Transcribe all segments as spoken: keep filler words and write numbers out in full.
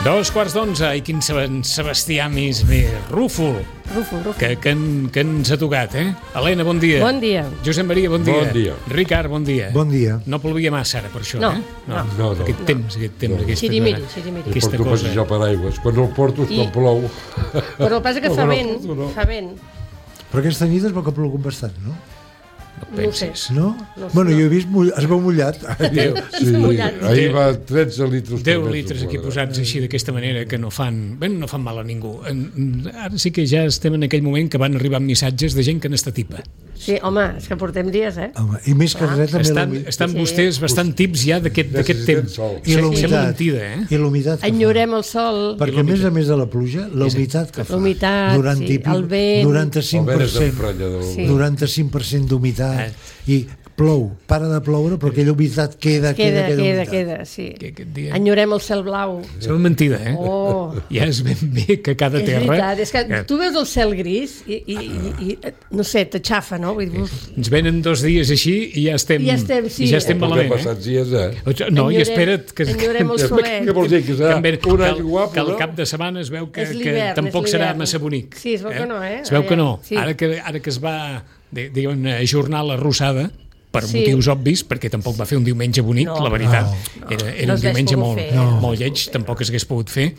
Dos quarts d'onze, i quin Sebastià més bé, Rufo, Rufo, Rufo. Que, que, en, que ens ha tocat, eh? Helena, bon dia. Bon dia. Josep Maria, bon dia. Bon dia. Ricard, bon dia. Bon dia. No plovia massa ara per això, no, eh? No, no. no. Aquest temps, aquest temps, no. aquesta Xirimiri, cosa. xirimiri. Jo porto a passejar per aigües. Quan el porto és I... quan plou. Però el que passa que fa vent, no. fa vent. Però aquesta nit es veu que ha plogut bastant, no? No pensis. No? No, bueno, no. jo he vist, mull... es veu mullat. Déu. Sí, mullat. ahir va tretze litres. deu litres aquí posats així d'aquesta manera que no fan, bé, no fan mal a ningú. Ara sí que ja estem en aquell moment que van arribant missatges de gent que n'està tipa. Sí, home, és que portem dies, eh? Home, i més que res també Estan, l'humitat. estan Sí. vostès bastant tips ja d'aquest d'aquest temps. sol. I Sembla l'humitat. mentida, eh? I l'humitat que fa. Enyorem el sol, Perquè a més a més de la pluja, la humitat que fa. l'humitat, noranta sí, i pico, el vent. noranta-cinc per El vent és cent, emprenyador. Sí. noranta-cinc per cent d'humitat. I plou, para de ploure, però aquella humitat queda, queda, queda, queda, humitat. queda, sí. Que aquest dia... Enyorem el cel blau. Sembla mentida, eh? Oh, Ja és ben bé que cada és terra... veritat, és que que tu veus el cel gris i, i, i, i no sé, t'aixafa, no? Vull dir, uf, Ens venen dos dies així i ja estem, Ja estem, sí. i ja estem Perquè malament, eh? passats dies, eh? No, i Enyorem- espera't que, enyorem el que, solet. Què vols dir? Que serà que, un que, any el- guapo, que el no? cap de setmana es veu que, És que l'hivern, tampoc és serà l'hivern. massa bonic. Sí, es veu que no, eh? Es veu que no. Sí. Ara que, ara que es va, diguem, ajornar la rossada, per Sí. motius obvis, perquè tampoc va fer un diumenge bonic, No. la veritat. No. Era, No era un s'hagués diumenge pogut molt, fer. No. molt lleig, tampoc s'hagués pogut fer,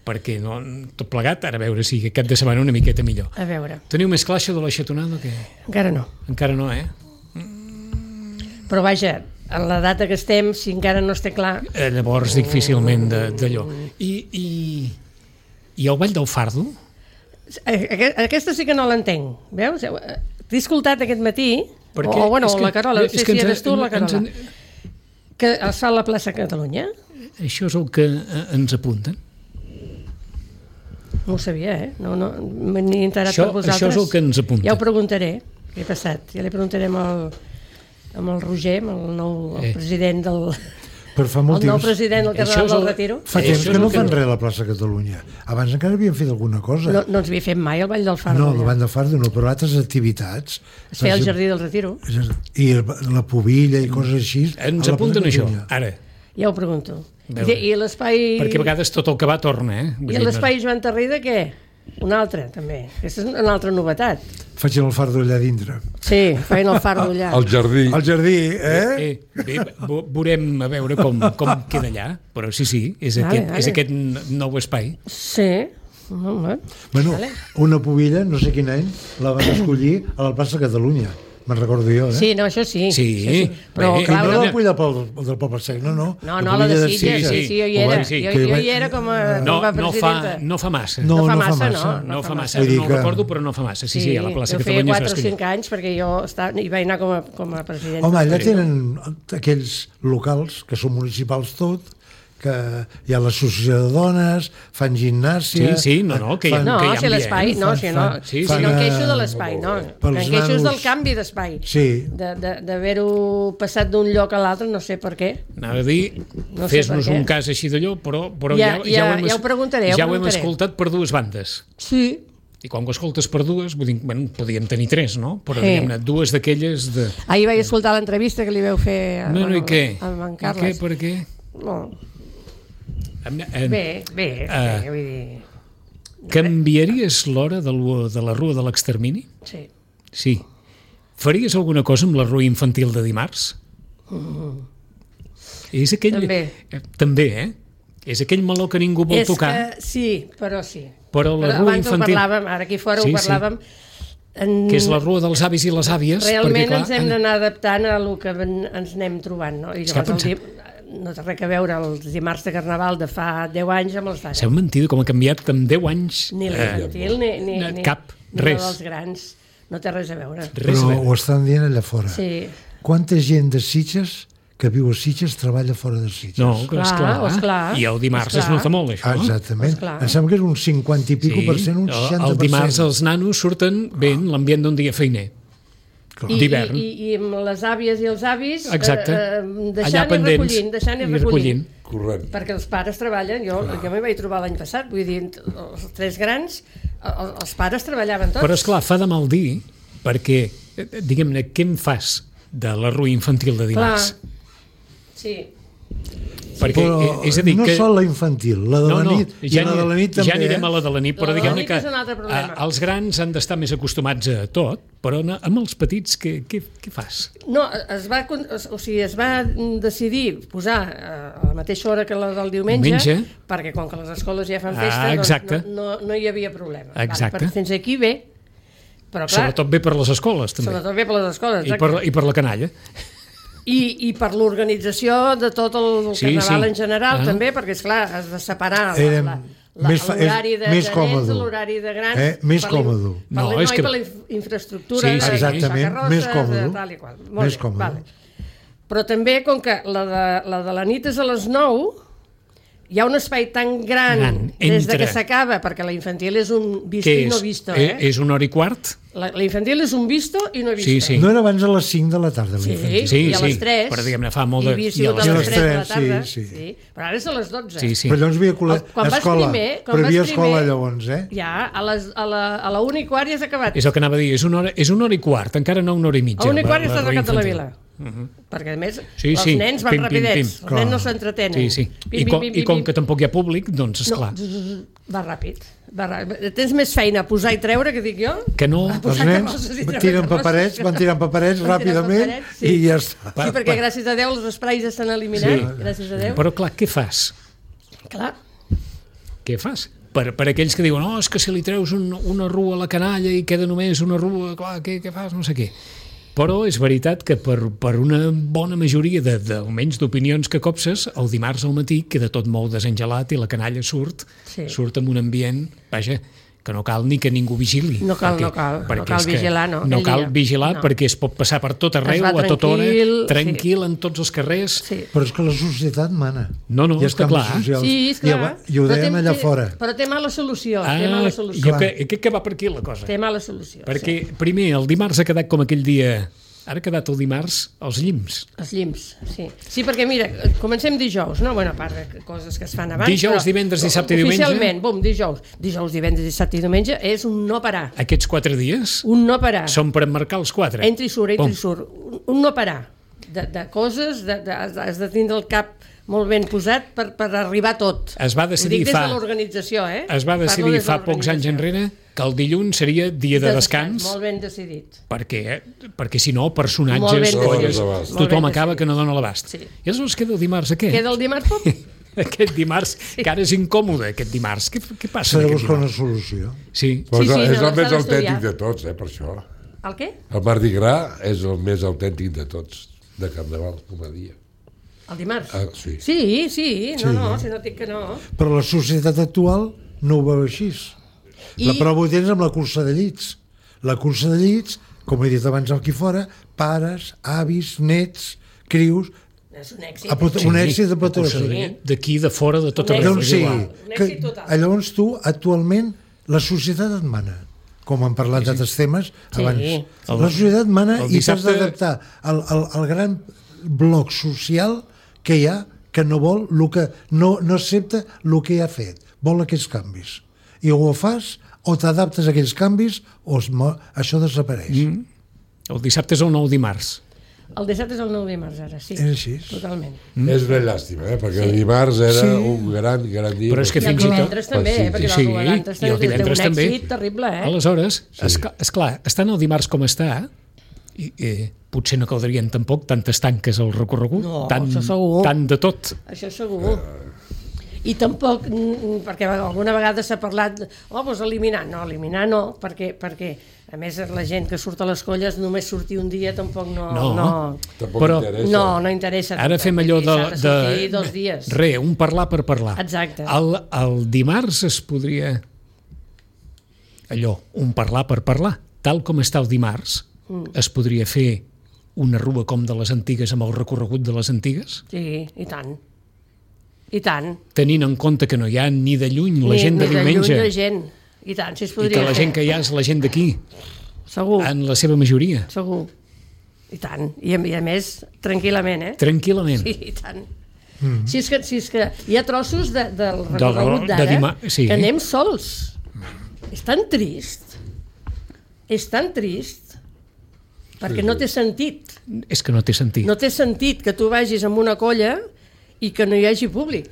perquè no, tot plegat, ara a veure si aquest cap de setmana una miqueta millor. A veure, Teniu més clar això de la xatonada o què? encara no. Encara no, eh? Però vaja, en la data que estem, si encara no està clar... Eh, llavors, difícilment de- d'allò. I, i, I el Ball del Fardo? Aque- Aquesta sí que no l'entenc, veus? T'he escoltat aquest matí, Perquè o, o bueno, és que- la Carola, no és sé que si ens- eres tu o la ens- Carola, que es fa a la plaça Catalunya. Això és el que eh, ens apunten. No ho sabia, eh? No, no, m'he enterat Això- per vosaltres. això és el que ens apunta. Ja ho preguntaré, què ha passat. Ja li preguntarem al, amb el Roger, amb el nou el Eh. president del... Per fa molt El nou temps. president del Això Carnaval és el- del Retiro. Fa Això temps és que el no que fan no- res a la plaça Catalunya. Abans encara havien fet alguna cosa. No, no ens havia fet mai el Ball del Fardo. No, allà. la banda Fardo no, però altres activitats. Es feia al Jardí del Retiro. I la pobilla i coses així. Ens a la plaça apunten això, Catalunya. ara. Ja ho pregunto. I, Veure. I l'espai... Perquè a vegades tot el que va torna, eh? Vull I dir, l'espai Joan Tarrida, què? Un altre, també. Aquesta és una altra novetat. Facin el fardo allà dintre. Sí, feien el fardo allà. Al jardí. Al jardí, eh? Eh, bé, ve- veurem a veure com, com queda allà, però sí, sí, és, Vale, aquest, vale. és aquest n- nou espai. Sí. Home. Bueno, Vale. una pobilla, no sé quin any, la van escollir a la plaça Catalunya. Me'n recordo jo, eh? Sí, no, això sí. Sí, això sí. Però, bé, I clar, no una... la pobilla pel, del Poble Sec, no, no. No, La no, la de pobilla Sitges, sí, sí. sí, jo hi Ho era. van- sí. Jo, que jo va- hi era com a, No, com a no, fa, presidenta. no fa massa. No, No fa no fa massa, massa. no. No fa massa, Vull dir no ho que- recordo, però no fa massa. Sí, sí, a la plaça jo feia Catalunya quatre es o va escollir. cinc anys perquè jo estava, hi vaig anar com a, com a presidenta. Home, allà tenen aquells locals, que són municipals tot, que hi ha l'associació de dones, fan gimnàsia... Sí, sí, no, no, que hi ha- No, que hi ha si l'espai, ambient. no, Fan- si no, fan- si fan, no em eh, queixo de l'espai, no, pels em queixo és nanos- del canvi d'espai, Sí. de- de- d'haver-ho passat d'un lloc a l'altre, no sé per què. Anava a dir, No sé fes-nos per què. un cas així d'allò, però, però Ja- ja, ja- ho hem, ja ho preguntaré, ja ho ja ho hem preguntaré. escoltat per dues bandes. Sí. I quan ho escoltes per dues, vull dir, bueno, podíem tenir tres, no? Però, Sí. diguem-ne, dues d'aquelles de... Ahir vaig escoltar l'entrevista que li veu fer a, Bueno, i què? amb en I què, Carles. per què? No. Em- em- Bé, bé, Eh. bé, vull dir... Canviaries l'hora de, l- de la rua de l'extermini? Sí. Sí. Faries alguna cosa amb la rua infantil de dimarts? És aquell... També. Eh, També, eh? És aquell meló que ningú vol És tocar, que, sí, però sí. però la Però rua abans infantil... ho parlàvem, ara aquí fora Sí, ho sí. parlàvem. En... que és la rua dels avis i les àvies. Realment perquè, clar, ens hem d'anar adaptant a el que ven- ens anem trobant, no? I És que llavors el pensat- di... no té res a veure els dimarts de Carnaval de fa deu anys amb els d'ara. Seu mentida com ha canviat en deu anys. Ni eh, l'infantil, ni, ni, no, ni, cap, ni res. la dels grans. No té res a veure. res Però a ho veure. estan dient allà fora. Sí. Quanta gent de Sitges que viu a Sitges treballa fora de Sitges? No, que Clar, esclar. esclar, I el dimarts es esclar. nota molt, això. Ah, exactament. Esclar. Em sembla que és un cinquanta i pico per cent, un el- seixanta per cent. El dimarts els nanos surten bé en l'ambient d'un dia feiner. Clar. I, d'hivern. i, i, I amb les àvies i els avis Exacte. eh, eh, Allà deixant i pendents recollint, deixant i i recollint. Correcte. Perquè els pares treballen, jo, jo m'hi vaig trobar l'any passat, vull dir, els tres grans, el- els pares treballaven tots. Però, esclar, fa de mal dir, perquè, eh, diguem-ne, què em fas de la rua infantil de dimarts? Clar. Sí. perquè, Però és a dir, no que... sol la infantil, la de no, la no, nit ja i la de la nit també. Ja anirem eh? a la de la nit, però La de la diguem-ne nit que és un altre problema. a- els grans han d'estar més acostumats a tot, però na- amb els petits què, què, què fas? No, es va, con- o sigui, es va decidir posar eh, a la mateixa hora que la del diumenge, Diumenge. perquè com que les escoles ja fan Ah, festa, exacte. doncs no, no, no hi havia problema. Exacte. Vale, fins aquí bé, però clar, Sobretot bé per les escoles, també. sobretot bé per les escoles, I per, I per la canalla. I, i per l'organització de tot el Sí, carnaval sí. en general, Ah. també, perquè, esclar, has de separar la- Érem la- la- més fa- l'horari de, més de nens còmode. de l'horari de grans. Eh, més per la- còmode. Per No, la, és no, que- i per la inf- infraestructura, Sí, de sí, exactament, carrosses, més còmode. de tal i qual. Molt Més bé, còmode. Vale. Però també, com que la de, la de la nit és a les nou, hi ha un espai tan gran, Gran, des de entre. que s'acaba, perquè la infantil és un visto Què i és? no visto, Eh, eh? És una hora i quart? La, la infantil és un visto i no visto. Sí, sí. No era abans a les cinc de la tarda, Sí, l'infantil. Sí, i a les sí, tres. però diguem-ne, fa molt de- I havia i a sigut les a les tres. tres de la Sí, tarda. sí. sí. Però ara és a les dotze. Sí, sí. Però llavors hi havia col·le... El- quan vas escola, primer- quan però hi havia vas escola primer- llavors, eh? Ja, a, les, a, la, a la una i quart ja has acabat. És el que anava a dir, és una hora, és una hora i quart, encara no una hora i mitja. A una i quart ja la- estàs la al cap de la infantil. vila. Perquè, a més, Sí, els sí, nens van pim, pim, rapidets, pim. els nens no s'entretenen. Sí, sí. I, com, I com que tampoc hi ha públic, doncs, esclar, No, va ràpid. Va ràpid. Tens més feina a posar i treure, que dic jo? que no... Els Posar nens carrosses i treure tiren carrosses. paperets, van tirant paperets Van tirant ràpidament paperets, sí. i ja està. Sí, perquè gràcies a Déu els esprais estan eliminats, Sí. gràcies a Déu. Però clar, què fas? Clar, Què fas? Per, per aquells que diuen, oh, és que si li treus un, una rua a la canalla i queda només una rua, clar, què, què fas? No sé què. Però és veritat que per, per una bona majoria de, de, almenys d'opinions que copses, el dimarts al matí queda tot molt desengelat i la canalla surt, Sí. surt amb un ambient, vaja, que no cal ni que ningú vigili. No cal, no cal. No cal és que vigilar, no, No aquell cal dia. vigilar No. perquè es pot passar per tot arreu, va a tota hora, tranquil, tranquil, en tots els carrers. sí. Però és que la societat mana. No, no, I els està canvis clar. socials. Sí, és I, clar. ho- I ho Però dèiem té- allà té- fora. Però té mala solució, Ah, té mala jo solució. que, crec que va per aquí la cosa. Té mala solució. Perquè, primer, el dimarts ha quedat com aquell dia... Ara ha quedat el dimarts als llims. Els llims, sí. Sí, perquè mira, comencem dijous, no? Bueno, a part de coses que es fan abans... Dijous, però divendres, dissabte i diumenge? Oficialment, bum, dijous. Dijous, divendres, dissabte i diumenge és un no parar. Aquests quatre dies Un no parar. són per emmarcar els quatre. Entra i surt, entra Pum. i surt. Un, un no parar. De, de coses, de, de, has de- has de tindre el cap molt ben posat per, per arribar a tot. Es va Ho decidir dic des fa- de l'organització, eh? Es va Parlo decidir des de fa pocs anys l'organització. enrere que el dilluns seria dia de descans, Molt ben decidit. perquè, perquè si no, Molt personatges, ben colles, decidit. Molt tothom ben acaba decidit. que no dona l'abast. Sí. I aleshores queda el dimarts aquest. Queda el dimarts, pop? Aquest dimarts, que ara és incòmode, aquest dimarts. Què, què passa S'ha de aquest buscar una dimarts? solució. Sí. Però Sí, sí, és no, el més s'ha d'estudiar. autèntic de tots, eh, per això. El què? El Mardi Gras és el més autèntic de tots, de Carnaval, com a dia. El dimarts? Ah, sí. Sí, sí, no, no, si no dic que no. Però la societat actual no ho veu així. I- La prova ho tens amb la cursa de llits. La cursa de llits, com he dit abans aquí fora, pares, avis, nets, crius, És un èxit. a pot, un èxit de pot Sí. D'aquí, de fora, de tot Un arreu. Doncs és sí, igual. Un que, èxit total. llavors tu, actualment, la societat et mana. Com han parlat d'altres temes Sí. abans. El- La societat mana el i t'has dissabte- d'adaptar al, al, al gran bloc social que hi ha, que no vol, lo que, no, no accepta el que ha fet. Vol aquests canvis. I o ho fas, o t'adaptes a aquells canvis, o es, mo- això desapareix. Mm. El dissabte és el nou dimarts. El dissabte és el nou dimarts, ara, sí. És així. Totalment. Mm. És una llàstima, eh? perquè el dimarts era Sí. un gran, gran dia. Però és que I el fins i tot- divendres també, eh? perquè Sí, el divendres i el també divendres té un també. èxit terrible, eh? Aleshores, és, és clar, estant el dimarts com està, i, eh, potser no caldrien tampoc tantes tanques al recorregut, No, tant, això segur. tant de tot. Això segur. I tampoc, mm, perquè alguna vegada s'ha parlat, oh, doncs eliminar. No, eliminar no, perquè, perquè a més la gent que surt a les colles només sortir un dia tampoc no... No. no, Tampoc Però- interessa. no, no interessa. Ara tampoc, fem allò de... s'ha de sortir de dos dies. Re, un parlar per parlar. Exacte. El, el dimarts es podria... Allò, un parlar per parlar. Tal com està el dimarts, mm. es podria fer una rua com de les antigues amb el recorregut de les antigues? Sí, i tant. I tant. Tenint en compte que no hi ha ni de lluny la Ni- gent de ni diumenge lluny la gent. I tant, si es i podria que la fer. gent que hi ha és la gent d'aquí, Segur, en la seva majoria. segur. I tant. I a, i a més, tranquil·lament, eh? Tranquil·lament. Sí, i tant. Mm. Si, és que, si és que hi ha trossos de, del de recorregut d'ara dima- sí. que anem sols. És tan trist. És tan trist perquè no té sentit. És que no té sentit. No té sentit que tu vagis amb una colla i que no hi hagi públic.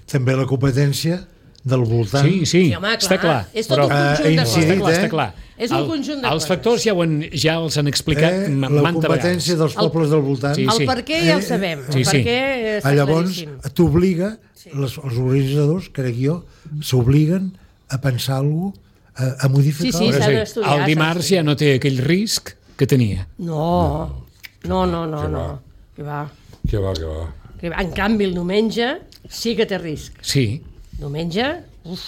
També la competència del voltant. Sí, sí, Sí, home, clar, està clar. és tot un conjunt eh, de incidit, coses. Està eh? clar. És un El- conjunt de Els coses. factors ja, ho han, ja els han explicat Eh, m- la manta competència vegades. dels pobles del voltant. Sí, El per què ja el sabem, Sí, el per sí. què està Ah, llavors claríssim. t'obliga, les, els organitzadors, crec jo, s'obliguen a pensar alguna cosa, a, a modificar. Sí, sí, Però s'ha sí, d'estudiar, el s'ha dimarts d'estudiar. ja no té aquell risc que tenia. No, no, no, no, que no. va. Que va. Que va, que va. Que va. En canvi, el diumenge sí que té risc. Sí, Diumenge, uf,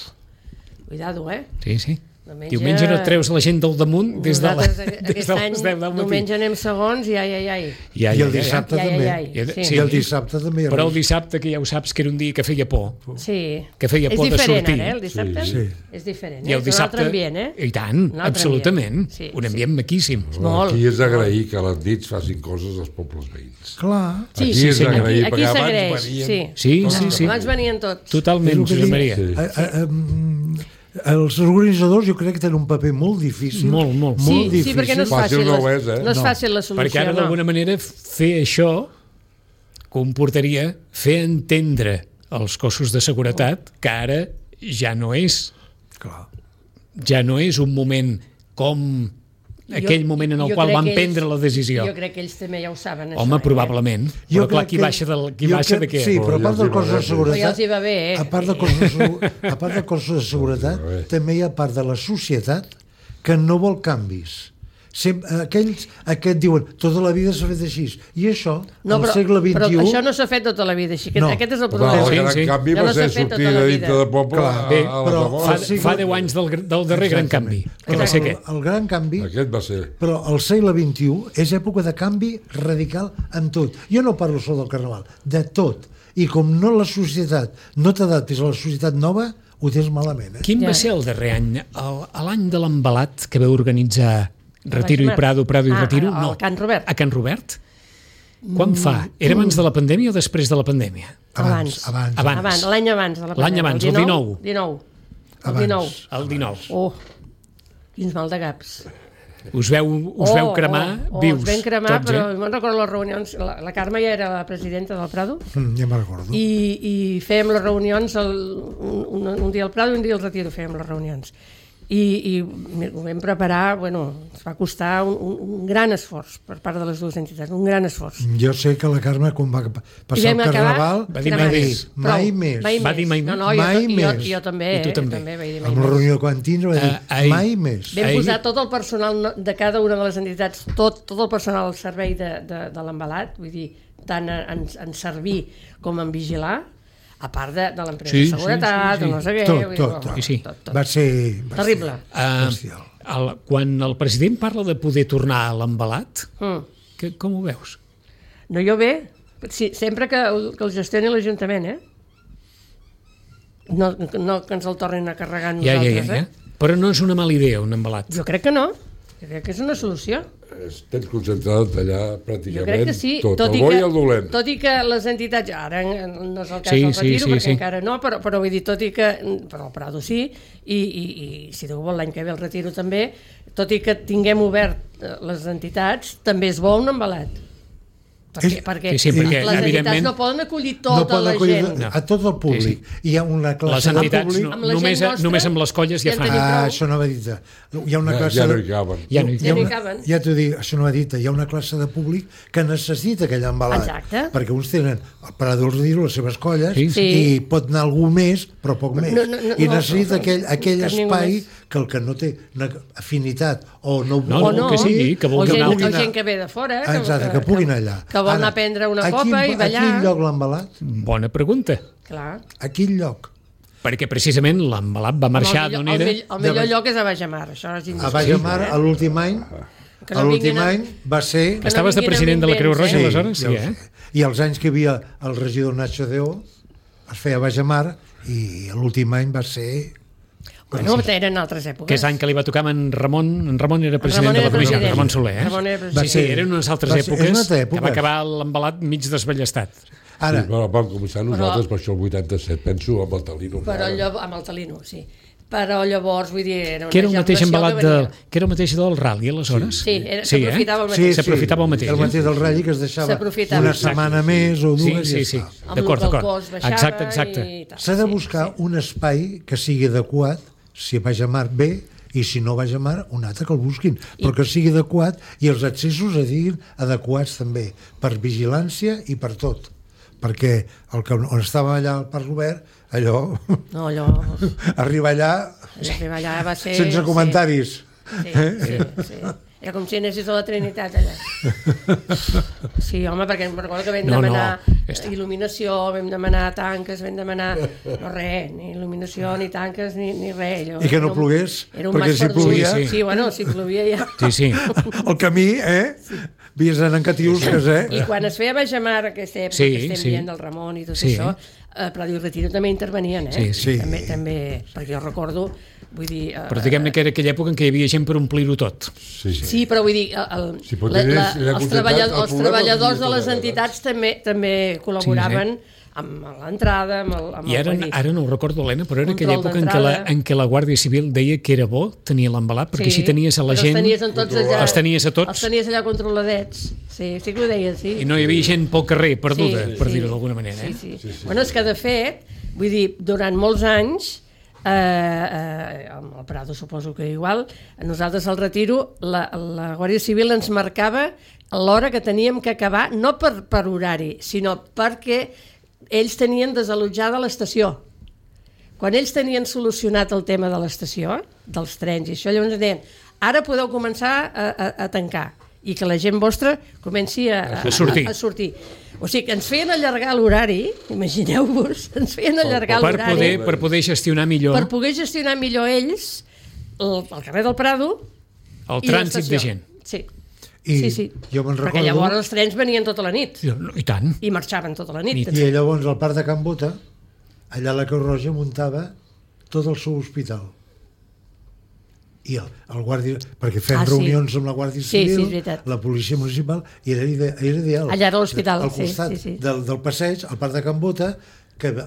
cuidado, eh? sí, sí. Diumenge- Diumenge no et treus la gent del damunt des de, la, Nosaltres des aquest de any, les deu del matí. diumenge anem segons i ai, ai, ai. Ja, I ja, el ja, ja. dissabte Ai, ai, també. ai, I el- sí. sí. I el dissabte també. hi ha Però el risc. dissabte, que ja ho saps, que era un dia que feia por. Sí. Que feia por de és diferent, sortir. ara, eh? El dissabte Sí. és diferent. I Eh? el És dissabte... un altre ambient, eh? I tant, Un altre absolutament. ambient. Sí, un sí. ambient maquíssim. Molt. Aquí és d'agrair que a les nits facin coses als pobles veïns. Clar. Sí, Aquí sí, és sí. d'agrair, Aquí, aquí perquè abans s'agraeix, venien- sí. Sí, sí, sí. Abans venien tots. Totalment, És el que Josep dic. Maria. Sí. A, a, a, mm, els organitzadors jo crec que tenen un paper molt difícil. Molt, molt. Sí, molt sí, difícil. perquè no és Fàcil fàcil, no ho la- és, eh? no és No. fàcil la solució, Perquè ara, no. d'alguna manera, fer això comportaria fer entendre als cossos de seguretat que ara ja no és Clar. ja no és un moment com aquell moment en el jo qual crec van que ells- prendre la decisió. Jo crec que ells també ja ho saben, Home, això, probablement. Jo Però clar, crec qui que- baixa, del, qui jo baixa de crec- què? Sí, però a Però part ja del els cos hi va de bé. seguretat... Però ja els hi va bé, eh? A part del cos de, segu- a part del cos de seguretat, Sí, va bé. també hi ha part de la societat que no vol canvis. Sem aquells que et diuen tota la vida s'ha fet així. I això, No, al però, segle vint-i-u... però això no s'ha fet tota la vida així. Aquest, No. aquest és el Però problema. el Sí, gran sí. canvi Ja va no ser s'ha fet sortir tota la de vida. dintre de poble Clar, a, Bé, a les però agones. Fa, el segle- fa deu anys del, del darrer gran canvi, que va ser el, aquest. el gran canvi... Aquest va ser... Però el segle vint-i-u és època de canvi radical en tot. Jo no parlo sol del carnaval, de tot. I com no la societat no t'adaptis a la societat nova, ho tens malament. Eh? Quin Ja. va ser el darrer any? El- a L'any de l'embalat que veu organitzar Retiro i Baix Mar. Prado, Prado i Ah, Retiro? al- al No, Can Robert. A Can Robert? Quan fa? Era abans de la pandèmia o després de la pandèmia? Abans. Abans. Abans. Abans, l'any abans de la L'any pandèmia. abans, el dinou. dinou. El Abans. dinou. El dinou. Oh, quins mal de gaps. Us veu, us oh, veu cremar oh, oh, vius, Us vam cremar, tots, però eh? me'n recordo les reunions. La, la Carme ja era la presidenta del Prado Mm, ja me'n recordo. i, i fèiem les reunions el, un, un, un dia al Prado i un dia al Retiro fèiem les reunions. I, i ho vam preparar, bueno, ens va costar un, un, un gran esforç per part de les dues entitats, un gran esforç. Jo sé que la Carme, quan va I passar el vam acabar carnaval, va dir va mai dir més. mai Prou, més. Mai Va dir mai no, més. no, jo, Mai jo, més. jo també, I tu eh, també. també vaig dir mai Amb la més. reunió que van tindre va dir Eh, ai. mai més. Vam Ahir- posar tot el personal no- de cada una de les entitats, tot, tot el personal al servei de, de, de l'embalat, vull dir, tant en, en servir com en vigilar, a part de, de l'empresa Sí, de sí, seguretat, sí, sí. o no sé què... Tot, vull dir, tot, bueno, tot. Sí, sí. tot, tot. Va ser... Va Terrible. Uh, bestial. el, quan el president parla de poder tornar a l'embalat, Mm. que, com ho veus? No, jo bé, sí, sempre que, el- que el gestioni l'Ajuntament, eh? No, no que ens el tornin a carregar Ja, ja, nosaltres, ja, ja. eh? Però no és una mala idea, un embalat. Jo crec que no. Jo crec que és una solució. Es- Tens concentrat allà Jo pràcticament crec que sí, tot, tot, el i bo que, i el dolent. tot i que les entitats, ara no és el cas Sí, del sí, Retiro, sí, perquè sí. encara no, però, però vull dir, tot i que, però el Prado sí, i, i, i si Déu vol l'any que ve el Retiro també, tot i que tinguem obert eh, les entitats, també és bo un embalat. Perquè, És- perquè Sí, sí, perquè, les entitats evidentment, no poden acollir No tota pot la acollir gent. a tot el públic. Hi ha una Les classe de entitats públic... no, Amb la només, gent nostra, només amb les colles ja ja en fan. tenim Ah, prou. això no va dit. Hi ha una Ja, classe... ja no de- hi caben. Ja no hi hi ha Ja no hi una- caben. Ja t'ho dic, això no va dit. Hi ha una classe de públic que necessita aquell embalat. Exacte. Perquè uns tenen el Prado del Retiro, les seves colles, Sí, sí. i pot anar algú més, però poc més. No, no, no, I no, necessita no, aquell, aquell cap ningú espai més. que el que no té una afinitat o no, No, O no, no, que sigui, que o vulgui gent, anar- o gent que ve de fora, que, Exacte, que puguin allà. que vol anar a prendre una a copa quin, i ballar. A quin lloc l'embalat? Bona pregunta. Clar. A quin lloc? Perquè precisament l'embalat va marxar el, d'on millor, el, era... millor, el millor De- lloc és a Bajamar, això és A indiscutible. Baix de Mar, a l'últim any, Que a no l'últim vinguin a- any va ser... Que no Estaves de vinguin amb president de la Creu invents, Roja, eh? aleshores? ja Sí, ho eh? sé. I els anys que hi havia el regidor Nacho Deó es feia a Baix de Mar i l'últim any va ser... Bueno, eren altres èpoques. Que és l'any que li va tocar amb en Ramon. En Ramon era president Ramon de la era comissió, president. Ramon Soler, eh? Ramon era Sí, president. sí, eren unes altres Va ser- és èpoques una altra que època. va acabar l'embalat mig desballestat. Ara, Sí, però vam començar nosaltres per això el vuitanta-set, penso, amb el Talino. Però encara. allò amb el Talino, sí. però llavors, vull dir, era una Que era el mateix ejaculació embalat que de, venia. que era el mateix del rally, aleshores? Sí, era- Sí, s'aprofitava el eh? mateix. Sí, S'aprofitava el mateix, El eh? mateix del ratll que es deixava S'aprofitava. una Exacte. setmana més o Sí, dues sí, i sí. ja està. Amb D'acord, el que el d'acord. cos baixava Exacte, exacte. i tal. S'ha de Sí, buscar sí. un espai que sigui adequat, si vaig a mar bé, i si no vaig a mar, un altre que el busquin, però que sigui adequat i els accessos es diguin adequats també, per vigilància i per tot. Perquè el que, on estava allà al Parc Obert, allò, No, allò... arribar allà Arribar allà va ser... sense comentaris. Sí, sí, sí, sí. Era com si anessis a la Trinitat allà. Sí, home, perquè em recordo que vam No, no, demanar està. il·luminació, vam demanar tanques, vam demanar... No res, ni il·luminació, ni tanques, ni, ni res. Allò, I que no era un- plogués, era un perquè mas si perdut. plovia- Sí, sí, bueno, si plovia ja... Sí, sí. El camí, eh? Havies d'anar en catiusques, eh? I quan es feia Baix a Mar, aquesta època Sí, que estem sí. dient del Ramon i tot Sí. això, a Prat i Retiro també intervenien, eh? Sí, sí. També, també, perquè jo recordo, vull dir... eh, Però diguem-ne que era aquella època en què hi havia gent per omplir-ho tot. Sí, sí. Sí, però vull dir, el, el, Sí, però la, tenies la, la els, quantitat, treballa, el els problema treballadors no de les tenia entitats també també col·laboraven amb l'entrada, amb el... Amb I el, ara, vull dir, ara no ho recordo, Helena, però era aquella Control època en què, la, d'entrada. en què la Guàrdia Civil deia que era bo tenir l'embalat, perquè sí, així tenies a la però gent... Els tenies, en tots allà, Els tenies a tots. Els tenies allà controladets. Sí, sí que ho deien, sí. I no hi havia gent pel carrer perduda, Sí, per sí. dir-ho d'alguna manera. Eh? Sí, sí. Sí, sí. Bueno, és que de fet, vull dir, durant molts anys, eh, eh, amb el Prado suposo que igual, a nosaltres al Retiro, la, la Guàrdia Civil ens marcava l'hora que teníem que acabar, no per, per horari, sinó perquè ells tenien desallotjada l'estació. Quan ells tenien solucionat el tema de l'estació, dels trens i això, llavors deien, ara podeu començar a, a, a tancar i que la gent vostra comenci a, a, A sortir. a, a sortir. O sigui, que ens feien allargar l'horari, imagineu-vos, ens feien allargar Per l'horari poder, per poder gestionar millor per poder gestionar millor ells el, el carrer del Prado el i trànsit l'estació. de gent. Sí. I sí, sí. jo me'n Perquè recordo- llavors els trens venien tota la nit I tant. i marxaven tota la nit. Nit. I llavors al Parc de Can Bota, allà la Creu Roja muntava tot el seu hospital. I el, el guàrdia, perquè fem Ah, sí. reunions amb la Guàrdia Sí, sí, Civil, és veritat. la policia municipal, i era, ide, era ideal. Allà era l'hospital, Al sí, costat sí, sí. Del, del passeig, al Parc de Can Bota, que el,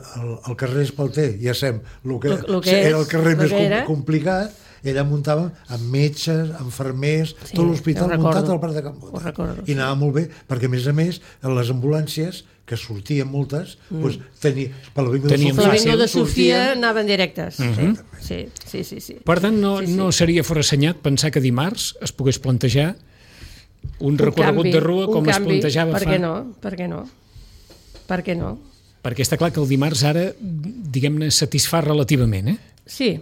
el carrer Espalter, ja sabem, el que, Lo- lo que era el és, carrer lo més que com, era. complicat, i allà muntàvem amb metges, infermers, Sí, tot l'hospital ho recordo, muntat al Parc de Can Bota. ho recordo, I anava molt bé, perquè a més a més, les ambulàncies, que sortien moltes, mm. doncs, tenia, per l'avinguda Teníem Per fàcil. l'Avinguda de Sofia sortien- anaven directes. Mhm. Sí, sí, sí, sí. Per tant, no, Sí, sí. no seria forassenyat pensar que dimarts es pogués plantejar un, Un recorregut canvi, de rua un com es canvi. plantejava Per fa... què no? Per què no? Per què no? Perquè està clar que el dimarts ara, diguem-ne, satisfà relativament, eh? Sí,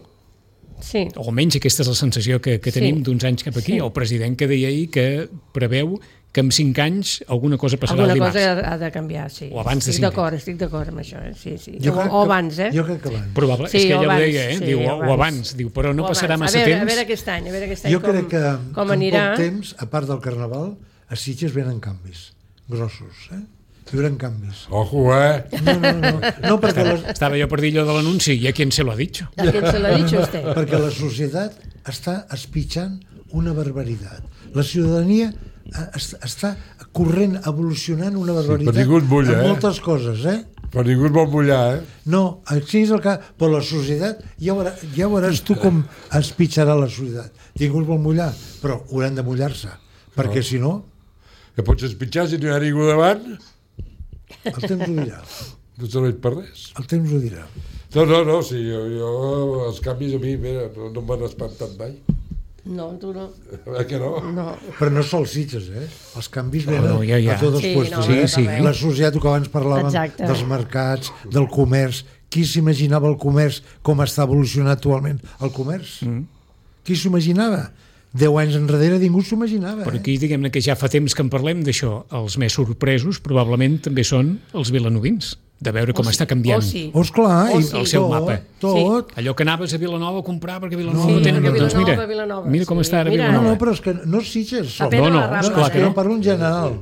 sí. O almenys aquesta és la sensació que, que Sí. tenim d'uns anys cap aquí. Sí. El president que deia ahir que preveu que en cinc anys alguna cosa passarà Alguna el dimarts. cosa ha de canviar, sí. O abans de estic cinc d'acord, estic d'acord amb això, eh? Sí, sí. Jo O, crec o que- abans, eh? Jo crec que abans. Probable, Sí, és que o ella abans, ho deia, eh? sí, diu, o o, abans. o abans, diu, però no O passarà abans. massa a veure, temps. A veure aquest any, a veure aquest any Jo com, crec que com en anirà. poc temps, a part del Carnaval, a Sitges venen canvis grossos, eh? Hi haurà canvis. Ojo, eh? No, no, no, no perquè, la, Estava jo per dir allò de l'anunci, i a qui se lo ha dit? ¿A quién se lo ha dicho usted? perquè la societat està espitxant una barbaritat. La ciutadania eh, es- està corrent, evolucionant una barbaritat ningú et mulla, en eh? moltes coses, eh? Però ningú et vol mullar, eh? No, així és el que... Però la societat, ja, veurà, ja veuràs tu com es pitjarà la societat. Ningú es vol mullar, però hauran de mullar-se, perquè si no, Que pots espitxar si no hi ha ningú davant? el temps ho dirà. No serveix per res. El temps ho dirà. No, no, no, sí, jo, jo els canvis a mi, mira, no, no m'han espantat mai. No, tu no. Eh que no? No. Però no sols Sitges, eh? Els canvis venen no, ja, ja. a tots els Sí, puestos. no, eh? sí, sí. La societat, que abans parlàvem Exacte. dels mercats, del comerç. Qui s'imaginava el comerç com està evolucionant actualment? El comerç? Mm. Qui s'ho imaginava? Deu anys enrere ningú s'ho imaginava. Però Eh? aquí, diguem-ne que ja fa temps que en parlem d'això. Els més sorpresos probablement també són els vilanovins, de veure com O està sí, canviant. o sí. Oh, esclar, Oh, i sí. El seu tot, mapa. Tot. Allò que anaves a Vilanova a comprar perquè Vilanova No, no, tenen, no, no, doncs Vilanova, mira, Vilanova, mira com sí. està ara Mira. No, Vilanova. no, però és que no Sitges. A sol. Pedro No, no, la Rambla, esclar que eh? no. Parlo en general.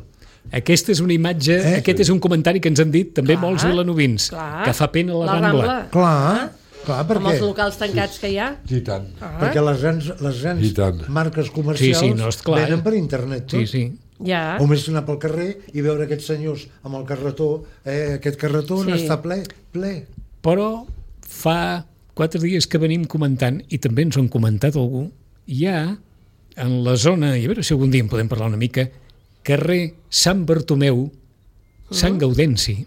Aquesta és una imatge, Eh? aquest és un comentari que ens han dit també Clar, molts vilanovins, clar. que fa pena la, La Rambla. Rambla. Clar, clar, Amb els perquè, locals tancats que hi ha. I tant. Ah, perquè les grans, les I grans tant. marques comercials Sí, sí, no, és clar, venen eh? per internet. Tot. Sí, sí. ja. O més anar pel carrer i veure aquests senyors amb el carretó, eh, aquest carretó Sí. sí. està ple, ple. Però fa quatre dies que venim comentant, i també ens ho han comentat algú, hi ha en la zona, i a veure si algun dia en podem parlar una mica, carrer Sant Bartomeu, Sant Gaudenci,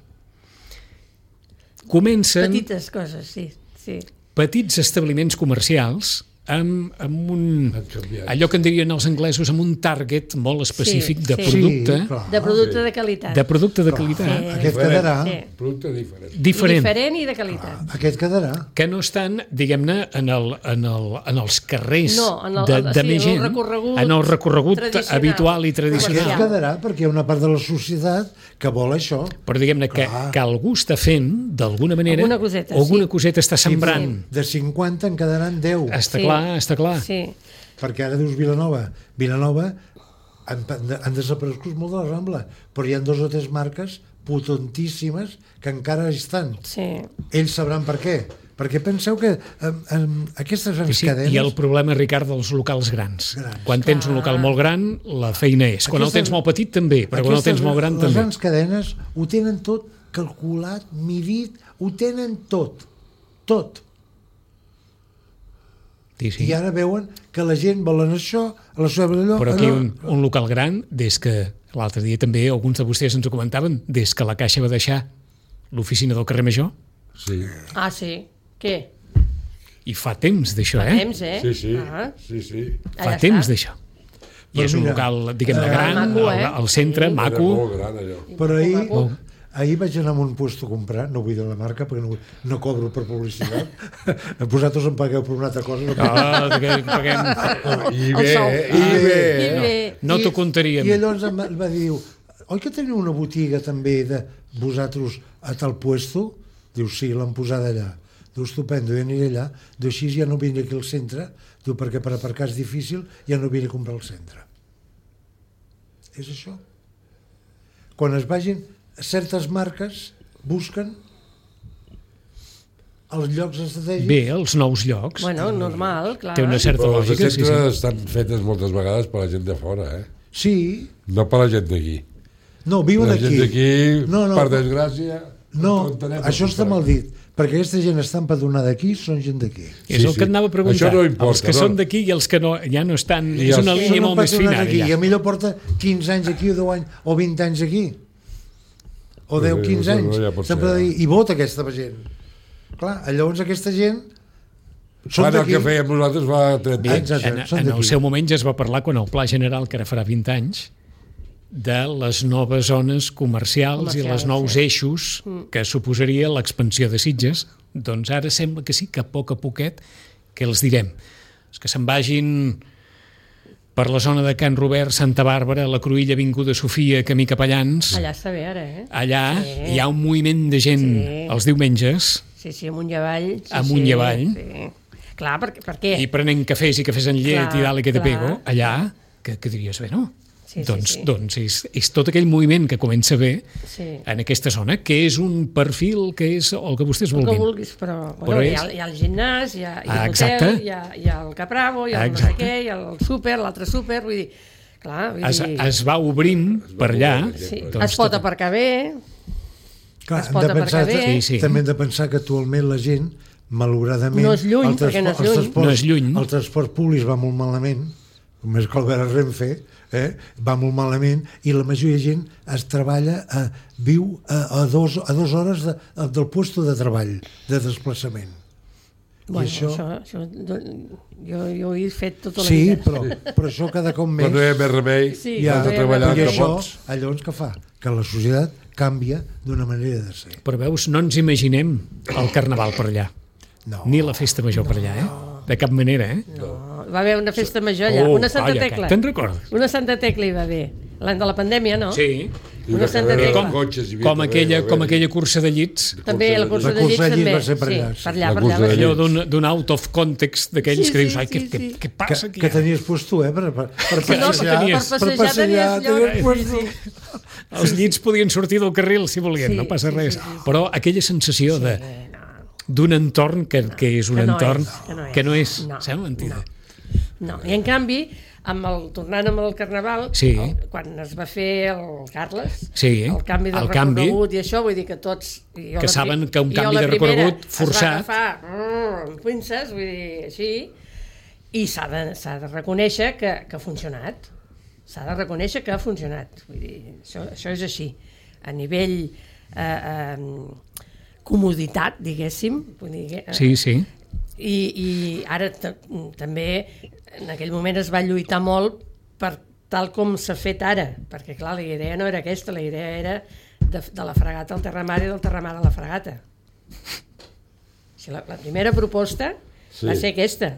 comencen Petites coses, sí. sí. petits establiments comercials amb, amb un... Han canviat. allò que en dirien els anglesos, amb un target molt específic Sí, de sí. producte, Sí, clar. De producte de qualitat. de producte de qualitat, Sí. Aquest quedarà, Sí. Producte diferent. diferent, Diferent i de qualitat. aquest quedarà. que no estan, diguem-ne, en, el, en, el, en els carrers No, en el- de, sí, de en més el gent, recorregut en el recorregut tradicional. habitual i Aquest tradicional. Comercial. quedarà perquè hi ha una part de la societat que vol això. Però diguem-ne que, Clar. que algú està fent, d'alguna manera, Alguna coseta, alguna sí. coseta està sembrant. De cinquanta en quedaran deu. Està Sí. clar, està clar. Sí. Perquè ara dius Vilanova. Vilanova han, han desaparegut molt de la Rambla, però hi ha dos o tres marques potentíssimes que encara estan. Sí. Ells sabran per què. Perquè penseu que eh, eh, aquestes grans Sí, cadenes... I el problema, Ricard, dels locals grans. Grans. Quan tens un local molt gran, la feina és. Quan el Aquestes- tens molt petit, també, però quan el aquestes- tens molt gran, les també. grans cadenes ho tenen tot calculat, midit, ho tenen tot. Tot. Sí, sí. I ara veuen que la gent volen això, a la seva allò... Però aquí allò. un, un local gran, des que l'altre dia també alguns de vostès ens ho comentaven, des que la Caixa va deixar l'oficina del carrer Major, Sí, Ah, sí. Què? i fa temps d'això, Fa eh? temps, eh? sí, sí, Ah, sí, sí. Fa allà temps està. d'això. I Però és un mira, local, diguem-ne, eh, gran, maco, eh? al, al centre, Sí. Era maco. molt gran, allò. Però ahir, Maco. ahir vaig anar a un puesto a comprar, no vull dir la marca perquè no, no cobro per publicitat. Vosaltres em pagueu per una altra cosa. No, Ah, que paguem... I El bé, sou. eh? I bé. I bé. No t'ho contaríem. I llavors em va, em va dir, oi que teniu una botiga també de vosaltres a tal puesto? Diu, sí, l'han posada allà. Diu, estupendo, jo aniré allà. Diu, així ja no vindré aquí al centre. Diu, perquè per aparcar és difícil, ja no vindré a comprar al centre. És això. Quan es vagin, certes marques busquen els llocs estratègics. Bé, els nous llocs. Bueno, normal, clar. Té una certa Però les de lògica, sí, centre sí. estan fetes moltes vegades per la gent de fora, eh? Sí, No per la gent d'aquí. no, viuen La aquí. gent d'aquí, No, no, per desgràcia... No, ho entenem això està perfectament. mal dit, perquè aquesta gent està empadronada aquí, són gent d'aquí. És Sí, el sí. que et anava a preguntar. Això no importa, els que no? són d'aquí i els que no, ja no estan... I és els- una línia Són molt més fina, empadronats aquí, ara, i ja. a millor porta quinze anys aquí, o deu anys, o vint anys aquí. O deu, Pues, quinze no, anys. ja pot Sempre ser. dir, I vota aquesta gent. Clar, llavors aquesta gent són Fan el d'aquí. que fèiem nosaltres fa trenta anys. Exacte. En, són en el d'aquí. seu moment ja es va parlar, quan el Pla General, que ara farà vint anys, de les noves zones comercials, i Comercials, els nous sí. eixos que suposaria l'expansió de Sitges. Doncs ara sembla que sí, que a poc a poquet, que els direm, els que se'n vagin per la zona de Can Robert, Santa Bàrbara, la Cruïlla, Avinguda Sofia, camí Capellans, Allà està bé, ara, eh? allà Sí. hi ha un moviment de gent Sí. els diumenges, Sí, sí, amunt i avall. Sí, Amunt i sí, avall. Sí. Clar, per, per què? i prenent cafès i cafès en llet Clar, i dalt i que te clar. pego, allà, que, que diries, bé, no? Sí, sí, doncs sí. doncs és, és tot aquell moviment que comença bé Sí. en aquesta zona, que és un perfil que és el que vostès El que vulguin. vulguis, però, Però bueno, hi, és- ha, hi ha el gimnàs, hi ha, hi ha Ah, l'hotel, exacte. hi, ha, hi ha el Capravo, hi ha el no sé Exacte. què, hi ha el súper, l'altre súper, vull dir, clar, vull Es, dir, es va obrint per allà. sí, doncs es pot tot- aparcar bé, Clar, es hem pot de pensar, aparcar bé. Sí, sí. també hem de pensar que actualment la gent, malauradament... No és lluny, el perquè no és transport- els lluny. transports- No és lluny. El transport públic va molt malament, més que el Vera Renfe, eh? va molt malament, i la majoria de gent es treballa, a, viu a, a, dos, a dues hores de, del puesto de treball, de desplaçament. bueno, I això... això, això, jo, jo ho he fet tota la Sí, vida. però, però això cada cop més... Quan no hi ha més remei, Sí, ja, quan no has hi de ha treballar més I que remei. això, pots. llavors què fa? Que la societat canvia d'una manera de ser. Però veus, no ens imaginem el carnaval per allà, No. ni la festa major per allà, eh? De cap manera, eh? No, va haver una festa major allà, Oh, una Santa calla, Tecla. Te'n recordes? Una Santa Tecla hi va haver. L'any de la pandèmia, no? Sí, I Una una Santa carrera Tecla. amb cotxes hi havia com també, aquella, va com haver-hi. aquella cursa de llits, També la cursa La de cursa llits de llits també. va ser per sí, allà, sí. per allà, La per cursa allà. de va ser. allò d'un d'un out of context d'aquells Sí, que dius, sí, ai, què, sí, què, sí. què Que, passa aquí? que tenies puesto, eh? Per, per, per Que no, passejar, que tenies- per passejar passejar, tenies lloc. tenies puesto. Sí, sí. Els llits podien sortir del carril si volien, Sí, no passa sí, res. sí, sí, sí. Però aquella sensació de Eh, no. d'un entorn que, que és un Que no entorn és, que no és. que no és, No, sembla mentida. No, i en canvi, amb el, tornant amb el Carnaval, Sí. el, quan es va fer el Carles, Sí, el canvi de el canvi. recorregut i això, vull dir que tots... i jo Que la pri- saben que un i jo canvi la de primera recorregut forçat- Es va agafar mm, amb pinces, vull dir, així, i s'ha de, s'ha de reconèixer que, que ha funcionat. S'ha de reconèixer que ha funcionat. Vull dir, això, això és així. A nivell eh, eh, comoditat, diguéssim. Vull dir, que, eh, Sí, sí. I, i ara també en aquell moment es va lluitar molt per tal com s'ha fet ara, perquè clar, la idea no era aquesta, la idea era de, de la fregata al terramar i del terramar a la fregata. O sigui, la, la primera proposta sí. va ser aquesta,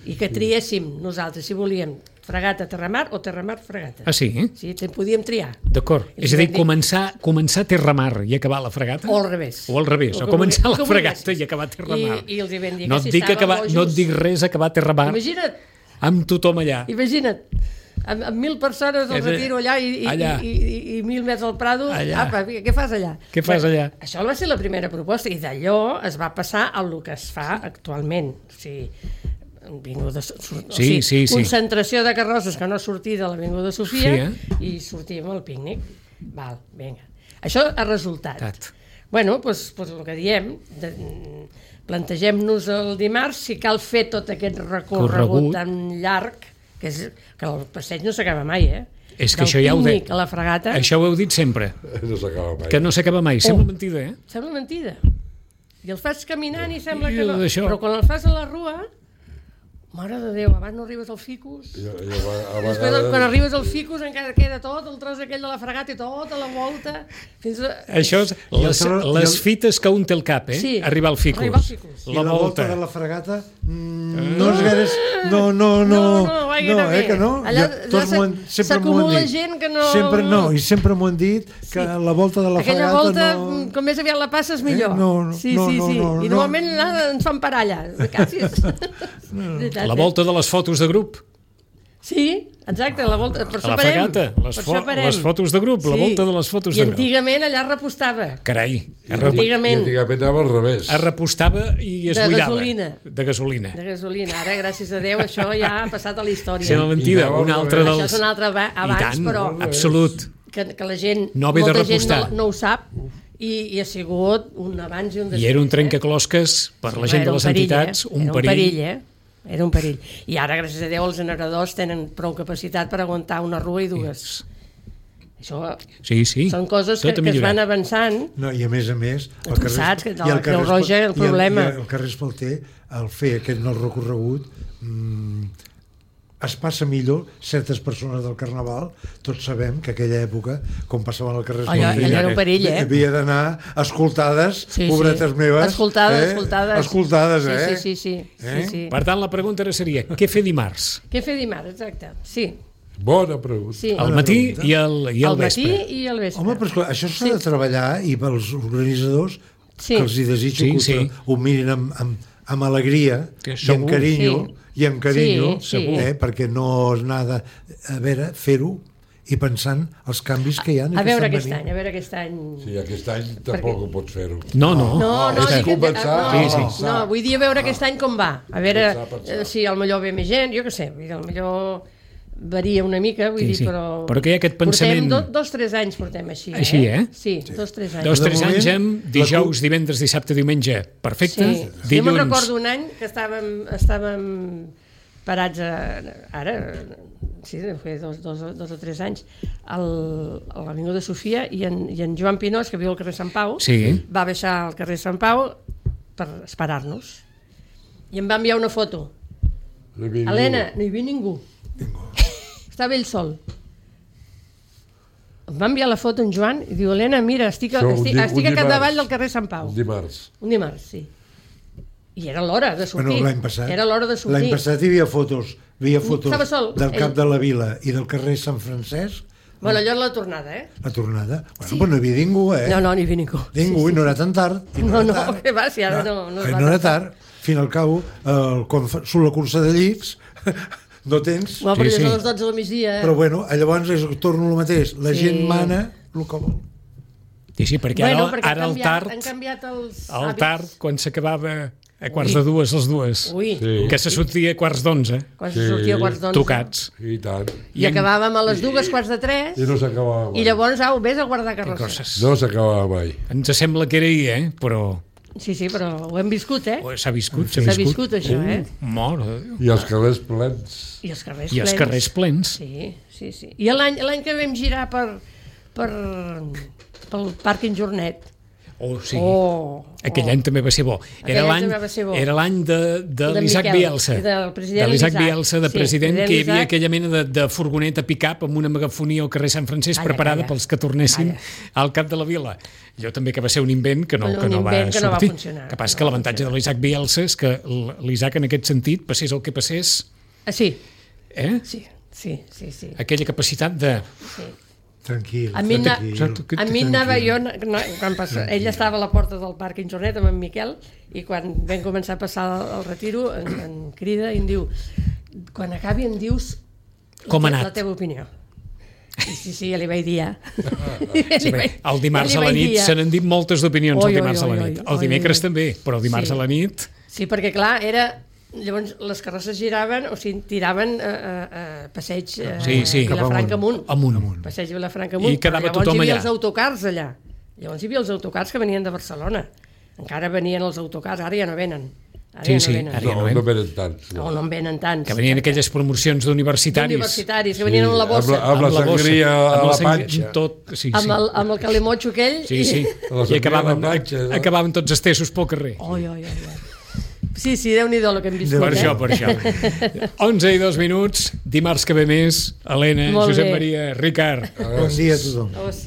i que triéssim nosaltres si volíem fregata, terramar o terramar, fregata. Ah, sí? Sí, te podíem triar. D'acord. I És a dir, vam dir- començar, començar a terramar i acabar la fregata? O al revés. O al revés, o que començar vulgui- la que fregata vulguessis. i acabar a terramar. I, i els hi vam dir no, que et si dic estaven acabar, bojos... no et dic res acabar a terramar Imagina't, amb tothom allà. imagina't, amb, amb mil persones al És a- retiro allà i, i, allà. i, i, i mil metres al Prado, Allà. apa, què fas allà? Què fas allà? Això va ser la primera proposta i d'allò es va passar al que es fa actualment. O sigui, Avinguda, sur, o Sí, sigui, sí, sí. concentració de carrosses que no sortir de l'Avinguda Sofia Sofia. i sortim al pícnic. Val, vinga. Això ha resultat. Tat. Bueno, doncs, doncs el que diem, de, plantegem-nos el dimarts si cal fer tot aquest recorregut Corregut. tan llarg, que, és, que el passeig no s'acaba mai, eh? És que Del això ja ho de... pícnic a la fregata, Això ho heu dit sempre, No s'acaba mai. que no s'acaba mai. Sembla mentida, eh? sembla mentida. I el fas caminant i sembla I que no. d'això. Però quan el fas a la rua, mare de Déu, abans no arribes al ficus. Jo, jo, a, a Després, vegades... quan arribes al ficus, encara queda tot el tros aquell de la fregata i tota la volta. Fins a... Això és les, I el- les i el- fites que un té al cap, eh? Sí, Arribar al ficus. arribar al ficus. I la volta de la fregata mm, no és gaire... No, no, no, No, no, vaja, no, eh, també. que no. Allà- Ja, tots allà m'ho han- s'ha- sempre m'ho han s'acumula dit. gent que no- Sempre, no, i sempre m'ho han dit, que la volta de la Aquella fregata volta, no... com més aviat la passes, millor. Eh? No, no, sí, no, sí, no, sí. no, I no. normalment allà ens fan parar allà. Quasi. Veritat, La eh? volta de les fotos de grup. Sí, exacte, la volta. Per A això la parem. fregata, les, Per fo això parem. les fotos de grup, la volta de les fotos I de grup. antigament allà repostava. Carai, es, I re Antigament. antigament anava al revés. es repostava i es De buidava. gasolina. De gasolina. De gasolina. Ara, gràcies a Déu, això ja ha passat a la història. Sembla mentida, I anava un al altre revés. dels... Això és un altre aba- abans, I tant, però absolut. que, que la gent, No ve de molta gent repostar. no, no ho sap i, i ha sigut un abans i un després. I era un eh? trencaclosques per la gent Era de un les perill, entitats, eh? un Era perill. un perill, eh? Era un perill. I ara, gràcies a Déu, els generadors tenen prou capacitat per aguantar una rua i dues. Això Sí, sí. són coses Tot que, ha que es millorat. van avançant. No, i a més a més... Tu saps que de i el la Creu Roja el i problema. I el, el carrer Espalter, al fer aquest nou recorregut, mmm, es passa millor certes persones del Carnaval. Tots sabem que aquella època, com passaven al carrer Allò, Espalter, allò era un perill, eh? havia d'anar escoltades, Sí, pobretes sí. meves. Escoltades, eh? escoltades. Escoltades, eh? Sí, sí, sí. sí, Eh? sí, sí. Per tant, la pregunta ara seria, què fer dimarts? Què fer dimarts, exacte. Sí, Bona pregunta. sí. Al matí i al, i al Al matí vespre. i al vespre. Home, però esclar, això s'ha Sí. de treballar i pels organitzadors Sí. que els hi desitjo Sí, que sí. ho, ho mirin amb, amb, amb alegria Que i amb segur. carinyo, Sí. i amb carinyo Sí, sí. eh, perquè no és nada a veure, fer-ho i pensant els canvis que hi ha. A veure aquest any, a veure aquest any... Sí, aquest any tampoc ho pots fer-ho. No, no. No, no, és dic que- començar no, a no, pensar. no, vull dir a veure aquest any com va. A veure Pensar, pensar. eh, si al millor ve més gent, jo què sé, vull dir, al millor varia una mica, vull Sí, dir, sí. però... Però que hi ha aquest pensament- Portem do, dos, tres anys portem així, eh? Així, eh? Sí, dos, tres anys. Dos, De tres moment, anys amb la dijous, divendres, dissabte, diumenge. Perfecte. Sí. Jo Dilluns. me'n recordo un any que estàvem, estàvem parats a, ara, sí, fa dos, dos, dos o tres anys, al, a l'Avinguda Sofia, i en, i en Joan Pinós, que viu al carrer Sant Pau, Sí. va baixar al carrer Sant Pau per esperar-nos. I em va enviar una foto. No hi havia Helena, ningú. no hi havia ningú. Estava ell sol. Em va enviar la foto en Joan i diu, Helena, mira, estic, a, Això, un estic, di- un estic a dimarts. capdavall del carrer Sant Pau. Un dimarts. Un dimarts, sí. I era l'hora de sortir. Bueno, l'any passat, Era l'hora de sortir. l'any passat hi havia fotos, hi havia fotos Estava sol, del cap ell. de la Vila i del carrer Sant Francesc, Bueno, allò és la tornada, eh? la tornada. Bueno, sí. Però no hi havia ningú, eh? No, no, n'hi havia ningú. Ningú, i no era tan tard. I No, era no, tard. que va, si ara no- no es eh, va no era tan tard. Fin al cabo, eh, quan fa, surt la cursa de llits, no tens... No, però Sí, sí, sí. és a les dotze del migdia. Però bueno, llavors és, torno al mateix. La Sí. gent mana el que vol. Sí, sí, perquè bueno, ara, perquè ara han el canviat, tard, han canviat els el hàbits. tard, quan s'acabava A quarts de dues, les dues. Ui, Sí. Que se sortia a quarts d'onze, quan Sí. se sortia a quarts d'onze. tocats. I tant. I acabàvem a les dues, quarts de tres, I no s'acabava mai. i llavors, au, vés a guardar Que carrosses. coses. No s'acabava mai. Ens sembla que era ahir, eh? Però Sí, sí, però ho hem viscut, eh? oh, s'ha viscut, s'ha S'ha viscut. viscut, això, eh? Mare de Déu. I els carrers plens. I els carrers I els plens. carrers plens. Sí, sí, sí. I l'any l'any que vam girar per, per, pel pàrquing Jornet. Oh, sí. Oh, Aquell oh. any també va ser bo. Aquell Era any l'any també va ser bo. era l'any de, de De l'Isaac Miquel, Bielsa. i del president de l'Isaac Isaac. Bielsa, de Sí, president, president que hi havia Isaac. aquella mena de, de furgoneta pick-up amb una megafonia al carrer Sant Francesc Calla, preparada calla. pels que tornessin Calla. al cap de la vila. Allò també que va ser un invent que no, Un que no va invent que no va sortir. funcionar, Que passa que que no va l'avantatge de funcionar. l'Isaac Bielsa és que l'Isaac en aquest sentit, passés el que passés, Ah, sí, eh? sí, sí, sí, sí. aquella capacitat de... sí. Tranquil, A mi, na, tranquil. a mi anava jo, no, quan passa, ell estava a la porta del pàrquing Jornet amb en Miquel i quan vam començar a passar el, el retiro en, en crida i em diu quan acabi em dius la, Com ha te- anat? la teva opinió. I sí, sí, ja li vaig dir ja. Sí, bé, el dimarts a la nit se n'han dit moltes d'opinions Oi, el oi, dimarts a la oi, nit. oi, El dimecres oi, oi. també, però el dimarts Sí. a la nit... Sí, perquè clar, era... Llavors les carrosses giraven, o sigui, tiraven a, a, a passeig eh, Sí, sí. Vilafranca amunt. Amunt. amunt. Passeig Vilafranca amunt. I quedava però llavors tothom hi havia allà. els autocars allà. Llavors hi havia els autocars que venien de Barcelona. Encara venien els autocars, ara ja no venen. Ara Sí, ja no sí, venen. ara ja No, ven. no venen tants. No, no en venen tants. Que venien aquelles promocions d'universitaris. Universitaris, que venien amb la bossa. Amb la, amb la bossa, sangria a amb la sangria, panxa. Tot, sí, Amb sí. el, amb el calimotxo aquell. Sí, sí. A la I acabaven, sangria a la panxa, no? acabaven tots estessos pel carrer. Oi, oi, oi, oi. Sí, sí, Déu-n'hi-do el que hem viscut. Per eh? això, per això. onze i dos minuts, dimarts que ve més, Helena, Molt Josep bé. Maria, Ricard. Bon dia a tothom. Oh, sí.